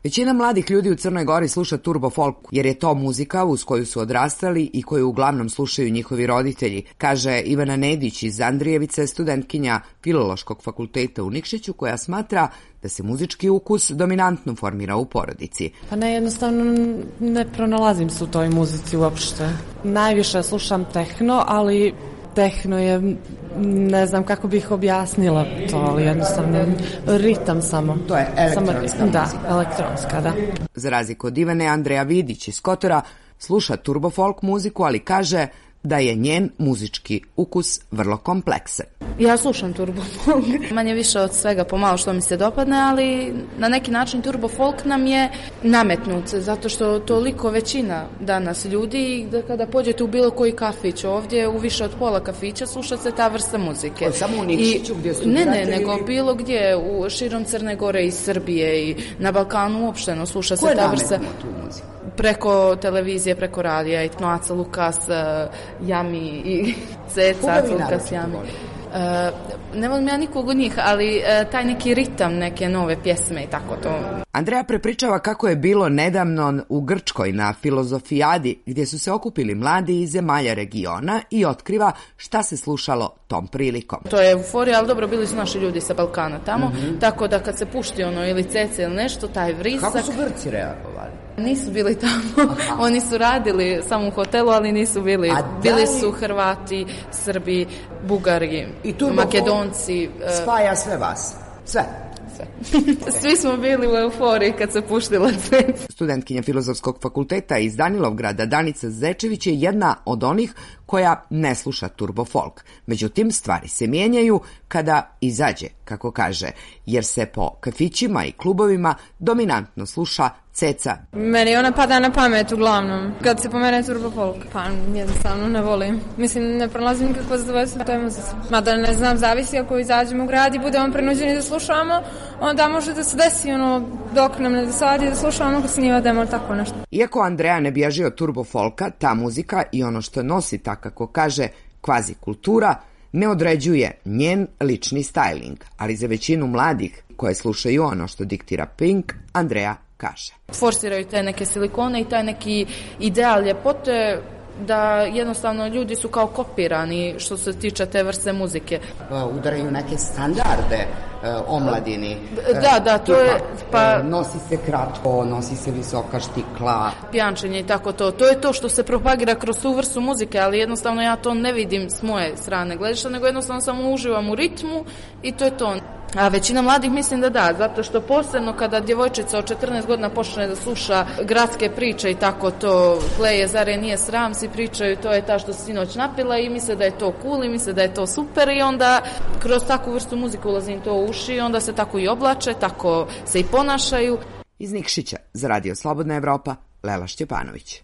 Većina mladih ljudi u Crnoj Gori sluša turbo folk, jer je to muzika uz koju su odrastali i koju uglavnom slušaju njihovi roditelji, kaže Ivana Nedić iz Andrijevice, studentkinja Filološkog fakulteta u Nikšiću, koja smatra da se muzički ukus dominantno formira u porodici. Pa ne, jednostavno ne pronalazim se u toj muzici uopšte. Najviše slušam tehno, ali tehno je, ne znam kako bih objasnila to, ali jednostavno ritam samo. To je elektronska muzika. Da, elektronska, da. Za razliku od Ivane, Andreja Vidić iz Kotora sluša turbo folk muziku, ali kaže da je njen muzički ukus vrlo kompleksan. Ja slušam turbo folk, manje više od svega pomalo što mi se dopadne, ali na neki način turbo folk nam je nametnut, zato što toliko većina danas ljudi, da kada pođete u bilo koji kafić ovdje, u više od pola kafića sluša se ta vrsta muzike. Samo u Nikšiću gdje su Ne, nego bilo gdje, u širom Crne Gore i Srbije i na Balkanu uopšteno sluša se ta vrsta. Tu muziku? Preko televizije, preko radija, i Aca Lukas, Jami i Ceca, Aca Lukas, Jami. Ne volim ja nikog od njih, ali taj neki ritam, neke nove pjesme i tako to. Andreja prepričava kako je bilo nedavno u Grčkoj na filozofijadi, gdje su se okupili mladi iz zemalja regiona, i otkriva šta se slušalo tom prilikom. To je euforija, ali dobro, bili su naši ljudi sa Balkana tamo, tako da kad se pušti ono ili Ceca ili nešto, taj vrisak... Kako su Grci reagovali? Nisu bili tamo, oni su radili samo u hotelu, ali nisu bili. Bili su Hrvati, Srbi, Bugari, Makedonci. Spaja sve vas? Sve? Svi smo bili u euforiji kad se puštila Ceca. Studentkinja Filozofskog fakulteta iz Danilovgrada Danica Zečević je jedna od onih koja ne sluša turbo folk. Međutim, stvari se mijenjaju kada izađe, kako kaže, jer se po kafićima i klubovima dominantno sluša Ceca. Meni ona pada na pamet uglavnom. Kad se pomene turbo folk, pa jednostavno ne volim. Mislim, ne pronalazim nikakvo zadovoljstvo u toj muzici. Mada ne znam, zavisi ako izađemo u grad i budemo prinuđeni da slušamo, onda može da se desi dok nam ne dosadi da slušamo kad se nije odemo tako nešto. Iako Andreja ne bježi od turbo folka, ta muzika i ono što nosi, tako kako kaže, kvazi kultura, ne određuje njen lični styling, ali za većinu mladih koje slušaju ono što diktira Pink, Andreja kaže. Forsiraju te neke silikone i taj neki ideal ljepote, da jednostavno ljudi su kao kopirani što se tiče te vrste muzike. Udaraju neke standarde omladini. Da, to je... Nosi se kratko, nosi se visoka štikla. Pijančenje i tako to. To je to što se propagira kroz tu vrstu muzike, ali jednostavno ja to ne vidim s moje strane gledišta, nego jednostavno samo uživam u ritmu i to je to. A većina mladih mislim da, zato što posebno kada djevojčica od 14 godina počne da sluša gradske priče i tako to, Kleje, zare nije sram, svi pričaju, to je ta što se sinoć napila i misle da je to cool i misle da je to super i onda kroz takvu vrstu muzike ulazi im to u uši i onda se tako i oblače, tako se i ponašaju. Iz Nikšića za Radio Slobodna Evropa, Lela Šćepanović.